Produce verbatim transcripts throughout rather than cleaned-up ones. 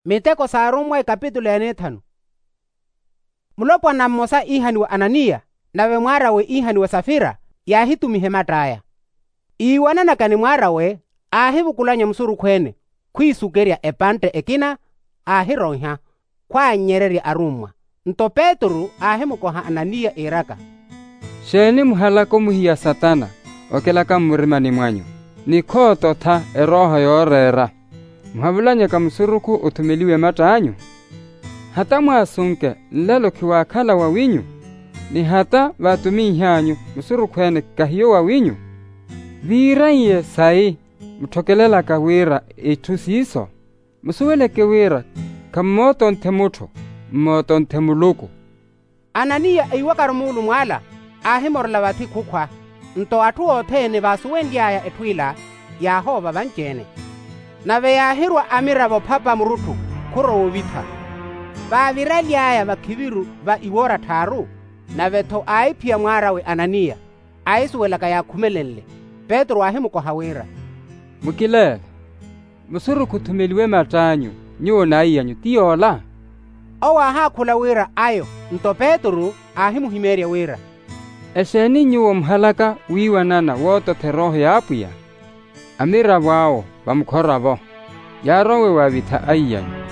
Miteko s'arummwa ikapitulo ya neethanu. Mulopwana mmosa iihaniwa ananiya, nave mwaar'awe iihaniwa safira, yaahitumiha ematt'aya. Iiwananaka ni mwaar'awe, aahivukulanya musurukhu-ene, khwiisukerya epantte ekina, aahiroiha, khwaannyererya arummwa. Nto petru aahimukoha ananiya iiraka, xeeni muhalaka omuhiya satana, okelaka mmurimani mwanyu, ni khoototha erooho yooreera, muhavulanyaka musurukhu othumeliwe mattanyu? Hata mwaasunke, nlelo khiwaakhala wawinyu, ni hata vaatuminh'anyu musurukhu-ene kahiyo wawinyu? Viiraiye sayi mutthokelelaka wira itthu siiso? Musuweleke wira khammootonthe mutthu, mmootonthe muluku. Ananiya eiwakaru muulumw'ala, aahimorela vathi khukhwa. Nto atthu othene vaasuwenly'aya etthu ila, yaahoova vanci-ene. Nave yaahirwa amiravo phapa murutthu, khurowa ovitha. Vaaviraly'aya vakhiviru va iwoora tthaaru, nave-tho aahiphiya mwaar'awe ananiya, aahisuwelaka yaakhumelenle. Petru aahimukoha wira, mukileele, musurukhu othumeliwe mattanyu, nyuwo n'aiy'anyu ti yoola? Owo aahaakhula wira ayo. Nto petru aahimuhimeerya wira, exeeni nyuwo muhalaka wiiwanana woototha erooho y'apwiya? Amiravo awo vamukhora-vo, yaarowe waavitha aiy'anyu,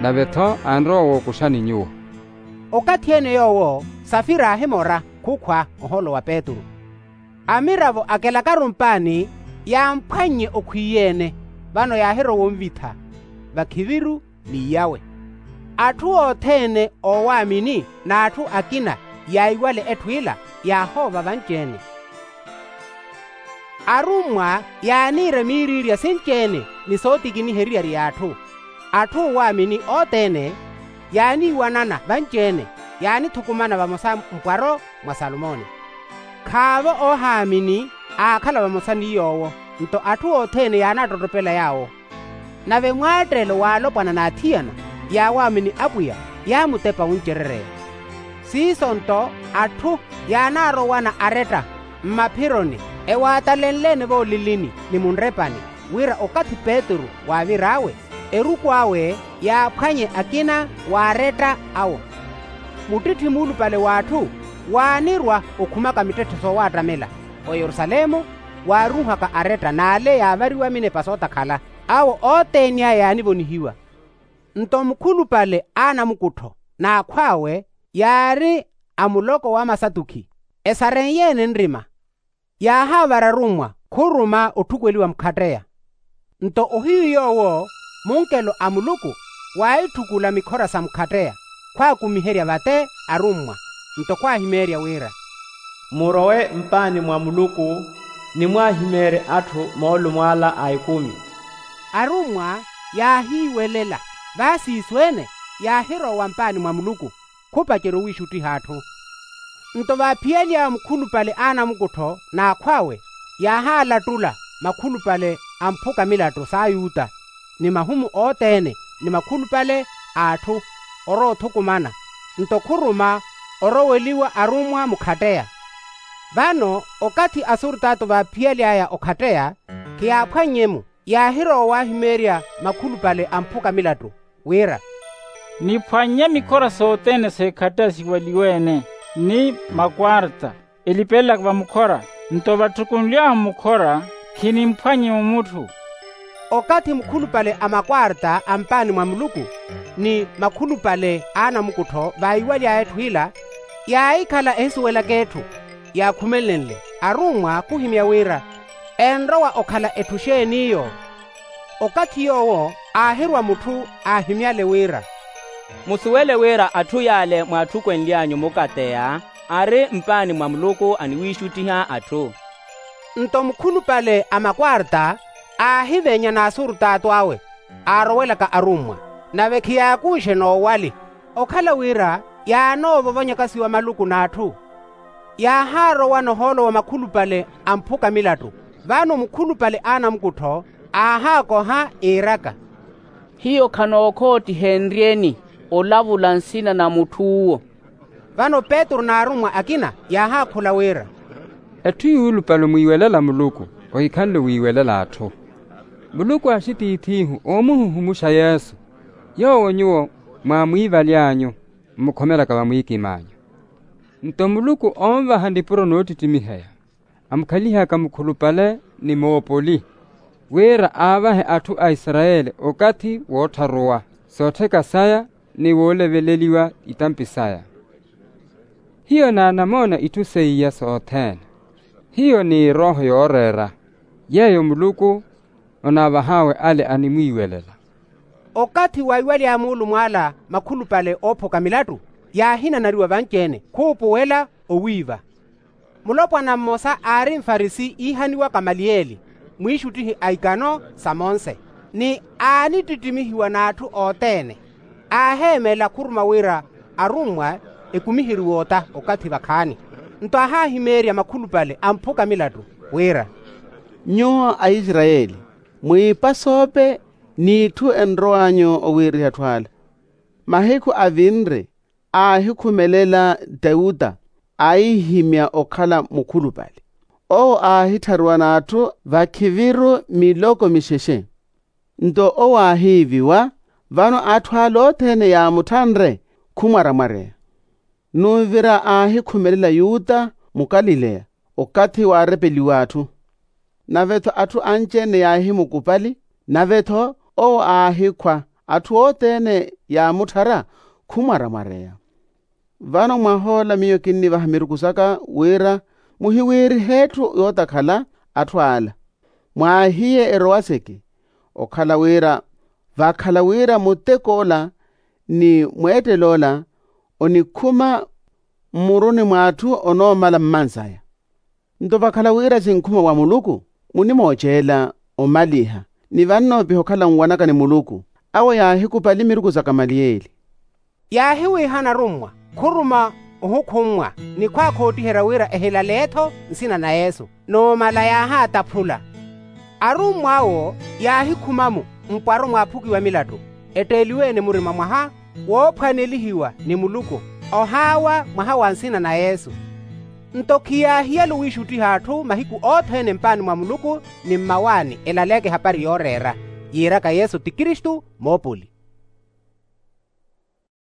nave-tho anrowa wookuxani nyuwo. Okathi-ene yoowo safira aahimora khukhwa ohoolo wa petru. Amiravo akelakaru mpaani, yaamphwannye okhwiyeene, vano yaahirowa onvitha vakhiviru, n'iyawe. Atthu othene oowaamini n'atthu akina yaiwale etthu ila, yaahoova vanci-ene. Arummwa yaaniira miiriirya sinci-ene ni sootikiniheryerya atthu. Atthu oowaamini othene yaaniiwanana vanci-ene, yaanithukumana vamosa mpwaro mwa salomoni. Khaavo oohaamini aakhala vamosa ni yoowo, nto atthu othene yaanaattottopela yaawo. Nave mwaatteelo w'alopwana n'athiyana yaawaamini apwiya yaamutepa wuncerereya. Siiso nto atthu yaanaarowana aretta mmaphironi, ewaatalenle-ene voolilini ni munrepani, wira okathi petru waavir'awe, eruku awe yaaphwanye akina w'aretta awo. Muttitthi muulupale w'atthu waanirwa okhumaka mittetthe soowaattamela oyerusalemu, waaruuhaka aretta n'ale yaavariwa minepa sootakhala. Awo othene aya yaanivonihiwa. Nto mukhulupale a anamukuttho n'akhw'awe yaari a muloko wa masatukhi, esareiye-ene nrima, yaahaavara arummwa khuruma otthukweliwa mukhatteya. Nto ohiyu yoowo munkelo a muluku waahitthukula mikhora sa mukhatteya, khwaakumiherya vate arummwa. Nto khwaahimeerya wira, murowe mpaani mwa muluku, ni mwaahimeerye atthu moolumw'ala a ekumi. Arummwa yaahiiwelela, vaasiisu-ene yaahirowa mpaani mwa muluku, khupacerya owiixuttiha atthu. Nto vaaphiyalyawe mukhulupale a anamukuttho n'akhw'awe, yaahalattula makhulupale a mphuka milattu s'ayuta, ni mahumu othene, ni makhulupale a atthu, orowa othukumana. Nto khuruma oroweliwa arummwa mukhatteya. Vano okathi asurtaatu vaaphiyaly'aya okhatteya, khiyaaphwannye-mu, yaahirowa waahimeerya makhulupale a mphuka milattu, wira, niphwannye mikhora sothene s'ekhatteya siweliwe-ene, ni makwarta elipelelaka vamukhora. Nto vatthukunly'ahu mukhora, khinimphwannye-mu mutthu. Okathi mukhulupale a makwarta a mpaani mwa muluku, ni makhulupale a anamukuttho vaiwaly'aya etthu ila, yaahikhala ehisuwelaka etthu yaakhumelenle. Arummwa khuhimya wira, enrowa okhala etthu xeeni eyo? Okathi yoowo aahirwa mutthu aahimyale wira, musuwele wira atthu y'ale mwaatthukweliw'anyu mukatteya, ari mpaani mwa muluku aniwiixuttiha atthu. Nto mukhulupale a makwarta aahivenya n'asurtaatu awe aarowelaka arummwa, nave khiyaakuuxe n'owali, okhala wira yaanoovovonyaka siwa maluku n'atthu. Yaahaarowa nohoolo wa makhulupale a mphuka milattu. Vano mukhulupale a anamukuttho aahaakoha iiraka, hiyo khanookhoottiheenryeni olavula nsina na mutth'uwo. Vano petru n'arummwa akina yaahaakhula wira, etthu yuulupale omwiiwelela muluku, ohikhanle wiiwelela atthu. Muluku aaxitiith'ihu oomuhuhumuxa yesu. Yoowo nyuwo mwaamwiivaly'anyu mmukhomelaka vamwiikimanyu. Nto muluku onvaha nipuro noottittimiheya, amukhalihaka mukhulupale ni moopoli, wira aavahe atthu a isarayeli okathi woottharuwa soottheka saya ni wooleveleliwa itampi saya. Hiyo naanamoona itthu seiya sothene. Hiyo ni erooho yooreera yeeyo muluku onaavah'awe ale animwiiwelela. Okathi waiwaly'aya muulumw'ala makhulupale oophuka milattu, yaahinanariwa vanci-ene khuupuwela owiiva. Mulopwana mmosa aari mfarisi iihaniwa kamaliyeli, mwiixuttihi a ikano sa monse, ni aanittittimihiwa n'atthu othene. Aaheemela khuruma wira arummwa ekumiheriwe ota okathi vakhaani. Nto aahahimeerya makhulupale amphuka milattu wira, nyuwo aisarayeli, mwiipasoope n'itthu enrow'anyu owiiriha atthu ala. Mahiku avinre aahikhumelela teuta, aahihimya okhala mukhulupale. Owo aahittharuwa n'atthu vakhiviru miloko mixexe. Nto owo aahiiviwa, vano atthu ala othene yaamutthanre khumwaramwareya. Numvira aahikhumelela yuta mukalileya okathi waarepeliwa atthu. Nave-tho atthu anci-ene yaahimukupali, nave-tho owo aahikhwa atthu othene yaamutthara khumwaramwareya. Vano mwah'ola miyo kinnivaha miruku saka wira muhiwiirihe etthu yootakhala atthu ala. Mwaahiye erowaseke okhala wira vakhala wira mutek'ola ni mweettel'ola onikhuma mmuruni mw'atthu onoomala mmansaya. Nto vakhala wira sinkhuma wa muluku, munimooceela omaliha ni vannoopiha okhala nwanaka ni muluku. Awo yaahikupali miruku sa kamaliyeli. Yaahiwiihana arummwa khuruma ohukhummwa ni khwaakhootiherya wira ehilale-tho nsina na yesu. Noomala yaahaataphula. Arummw'awo yaahikhuma-mo mpwaro mwaaphukiwa milattu, etteeliwe-ene murima mwaha woophwanelihiwa ni muluku, ohaawa mwaha wa nsina na yesu. Nto khiyaahiyale owiixuttiha atthu mahiku othene mpaani mwa muluku ni mmawaani elaleke ehapari yooreera, yiiraka yesu ti kristu moopoli.